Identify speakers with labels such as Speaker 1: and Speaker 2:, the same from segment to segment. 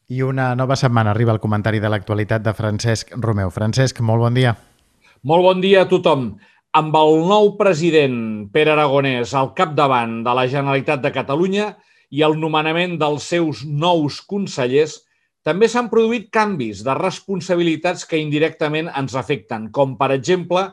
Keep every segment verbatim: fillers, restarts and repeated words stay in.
Speaker 1: I una nova setmana arriba el comentari de l'actualitat de Francesc Romeu. Francesc, molt bon dia.
Speaker 2: Molt bon dia a tothom. Amb el nou president Pere Aragonès al capdavant de la Generalitat de Catalunya i el nomenament dels seus nous consellers, també s'han produït canvis de responsabilitats que indirectament ens afecten, com per exemple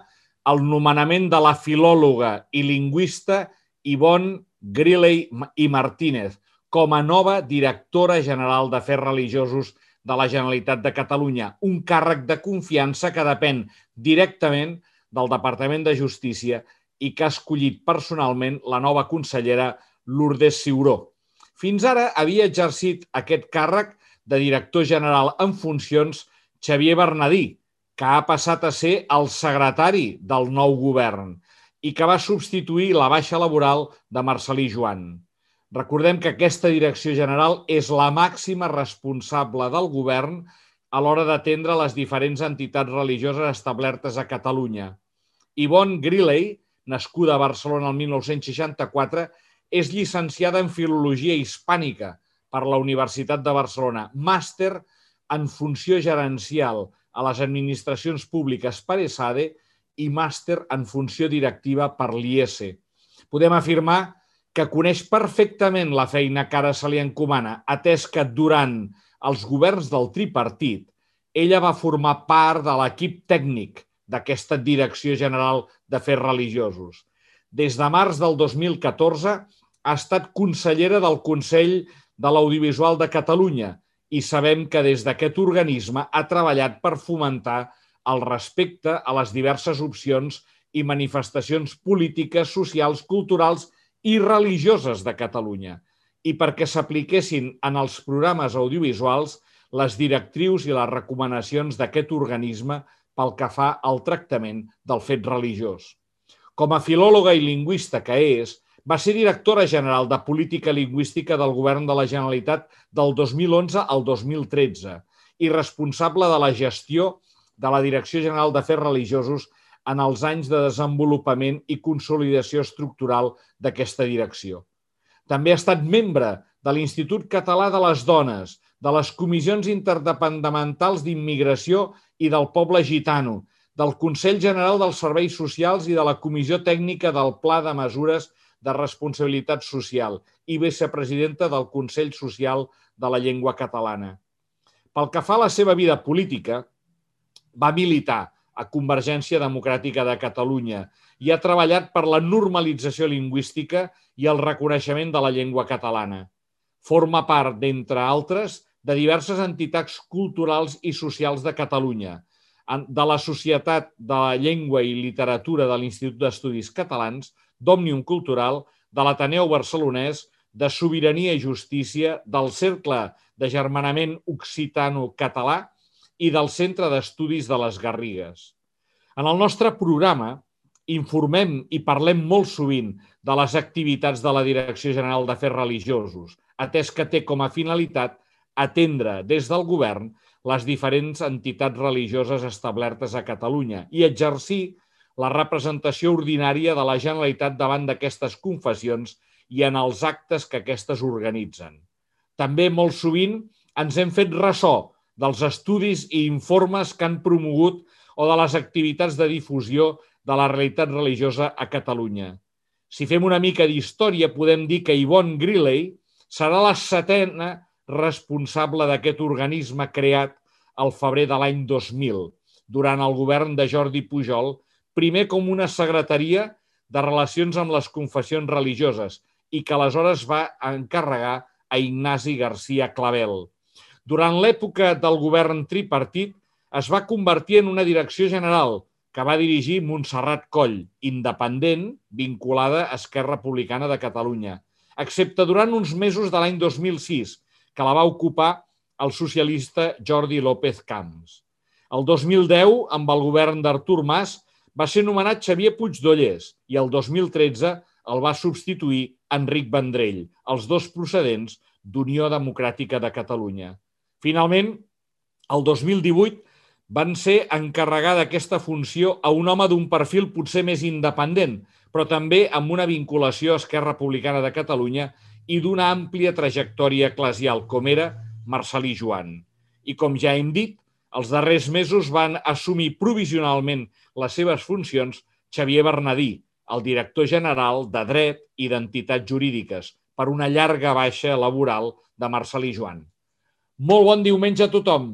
Speaker 2: el nomenament de la filòloga i lingüista Ivonne Griley i Martínez com a nova directora general d'Afers Religiosos de la Generalitat de Catalunya, un càrrec de confiança que depèn directament del Departament de Justícia i que ha escollit personalment la nova consellera Lourdes Ciuró. Fins ara havia exercit aquest càrrec de director general en funcions Xavier Bernadí, que ha passat a ser el secretari del nou govern i que va substituir la baixa laboral de Marcel·lí Joan. Recordem que aquesta direcció general és la màxima responsable del govern a l'hora d'atendre les diferents entitats religioses establertes a Catalunya. Ivonne Griley, nascuda a Barcelona el mil nou-cents seixanta-quatre, és llicenciada en Filologia Hispànica per la Universitat de Barcelona, màster en funció gerencial a les administracions públiques per ESADE i màster en funció directiva per l'I E S E. Podem afirmar que coneix perfectament la feina que ara se li encomana, atès que durant els governs del tripartit ella va formar part de l'equip tècnic d'aquesta Direcció General d'Afers Religiosos. Des de març del dos mil catorze ha estat consellera del Consell de l'Audiovisual de Catalunya i sabem que des d'aquest organisme ha treballat per fomentar el respecte a les diverses opcions i manifestacions polítiques, socials, culturals i religioses de Catalunya i perquè s'apliquessin en els programes audiovisuals les directrius i les recomanacions d'aquest organisme pel que fa al tractament del fet religiós. Com a filòloga i lingüista que és, va ser directora general de Política Lingüística del Govern de la Generalitat del dos mil onze al dos mil tretze i responsable de la gestió de la Direcció General d'Afers Religiosos en els anys de desenvolupament i consolidació estructural d'aquesta direcció. També ha estat membre de l'Institut Català de les Dones, de les Comissions Interdepartamentals d'Immigració i del Poble Gitano, del Consell General dels Serveis Socials i de la Comissió Tècnica del Pla de Mesures de Responsabilitat Social i vicepresidenta del Consell Social de la Llengua Catalana. Pel que fa a la seva vida política, va militar a Convergència Democràtica de Catalunya i ha treballat per la normalització lingüística i el reconeixement de la llengua catalana. Forma part, d'entre altres, de diverses entitats culturals i socials de Catalunya, de la Societat de la Llengua i Literatura de l'Institut d'Estudis Catalans, d'Òmnium Cultural, de l'Ateneu Barcelonès, de Sobirania i Justícia, del Cercle d'Agermanament Occitano-Català i del Centre d'Estudis de les Garrigues. En el nostre programa informem i parlem molt sovint de les activitats de la Direcció General d'Afers Religiosos, atès que té com a finalitat atendre des del govern les diferents entitats religioses establertes a Catalunya i exercir la representació ordinària de la Generalitat davant d'aquestes confessions i en els actes que aquestes organitzen. També molt sovint ens hem fet ressò dels estudis i informes que han promogut o de les activitats de difusió de la realitat religiosa a Catalunya. Si fem una mica d'història, podem dir que Ivonne Griley serà la setena responsable d'aquest organisme creat al febrer de l'any dos mil, durant el govern de Jordi Pujol, primer com una secretaria de relacions amb les confessions religioses i que aleshores va encarregar a Ignasi García Clavel. Durant l'època del govern tripartit es va convertir en una direcció general que va dirigir Montserrat Coll, independent, vinculada a Esquerra Republicana de Catalunya, excepte durant uns mesos de l'any dos mil sis, que la va ocupar el socialista Jordi López Camps. El dos mil deu, amb el govern d'Artur Mas, va ser nomenat Xavier Puigdollers i el dos mil tretze el va substituir Enric Vendrell, els dos procedents d'Unió Democràtica de Catalunya. Finalment, el dos mil divuit van ser encarregar d'aquesta funció a un home d'un perfil potser més independent, però també amb una vinculació a Esquerra Republicana de Catalunya i d'una àmplia trajectòria eclesial, com era Marcel·lí Joan. I com ja hem dit, els darrers mesos van assumir provisionalment les seves funcions Xavier Bernadí, el director general de Dret i d'Entitats Jurídiques, per una llarga baixa laboral de Marcel·lí Joan. Molt bon diumenge a tothom!